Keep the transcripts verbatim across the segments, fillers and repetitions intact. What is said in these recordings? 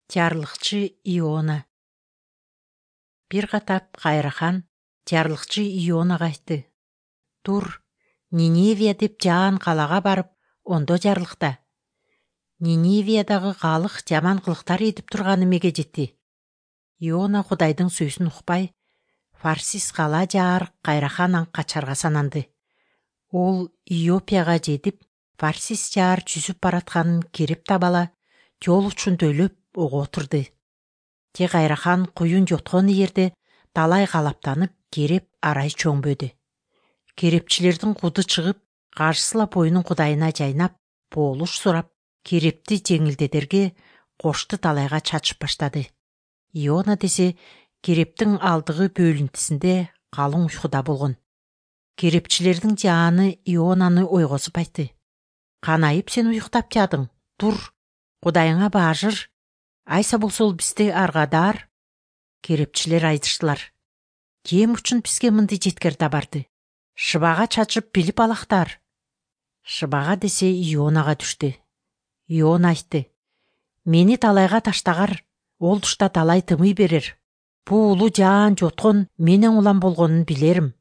Жарлыкчы Иона. Бир катап Кайрахан жарлыкчы Ионага айтты: "Тур, Ниневия деп жаан калага барып, ондо жарлыкта. Ниневиядагы калык жаман кылыктар этип турганы эмеге жетти?" Иона Кудайдын сөзүн укпай, Фарсис кала жаар Кайрахан аң качарга сананды. Ол Иопияга жетип, Фарсис жаар жүзүп баратканын кереп табала, жол учунда өлөп ого отурду. Те Кайрахан куюн жоткон жерде талай калаптанып, кереп арай чөңбөдү. Керепчилердин куду чыгып, каршысылап боюнун Кудайына жайнап, болуш сурап, керепти жеңилдетерге кошту талайга чачып баштады. Иона десе керептин алдыгы бөлүнтүсүндө калың уйкуда болгон. Керепчилердин жааны Ионаны ойгозуп айтты: "Канайып сен уюктап жадың? Тур, Кудайыңа баажыр. Айса болсо бизди аргадаар." Керепчилер айтыштылар: "Кем үчүн бизге мындай жеткерде барды? Шыбага чачып билип алактар." Шыбага десе Ионага түштү. Иона айтты: "Мени талайга таштагар, ол тушта талай тымый берер. Бу улуу жаан жоткон менен улам болгонун билерим."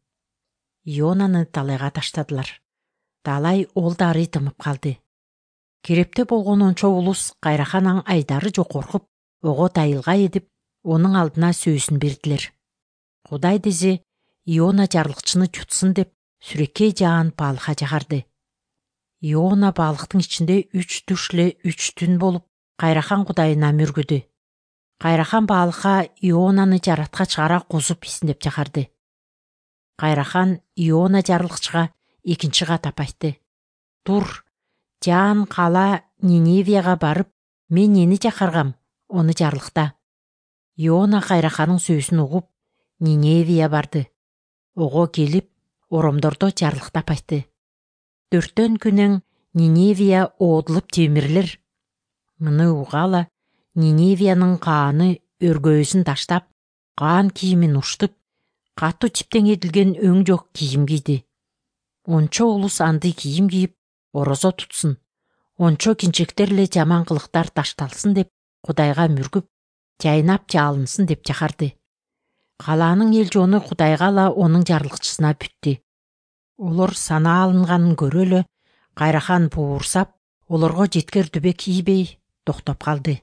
Ионаны талайга таштадылар. Талай ол дары тымып калды. Керепте болгон ончо улус Кайрахан аң айдары жок коркуп, ого тайылга едип, онун алдына сөзүн бердилер. Кудай десе Иона жарлыкчыны жутсун деп, сүрөккей жаан балыкка жагарды. Иона балыктын ичинде үч туш эле үч түн болуп, Кайрахан Кудайына мүргүдү. Кайрахан балыкка Ионаны жараткач кара кузуп исиндеп жагарды. Кайрахан Иона жарлыкчыга экинчи катап айтты: "Тур, жаан кала Ниневияга барып, мен нени жакаргам, ону жарлыкта." Иона Кайраханын сөзүн угуп, Ниневия барды. Ого келип, оромдордо жарлыктап айтты: "Төрттөн күнөң Ниневия оодулуп темирилер." Муну угала Ниневиянын кааны өргөөсүн таштап, каан кийимин уштуп, катуу чиптен эдилген өң жок кийим кийди. Ончо улус андый кийим кийип, орозо тутсун. Ончо кинчектер эле жаман кылыктар ташталсын деп, Кудайга мүргүп, жайнап жалынсын деп жакарды. Калаанын эл жону Кудайга ала онун жарлыкчысына бүттү. Олор санаа алынганын көрө эле Кайрахан буурсап, олорго жеткер дүбө кийбей токтоп калды.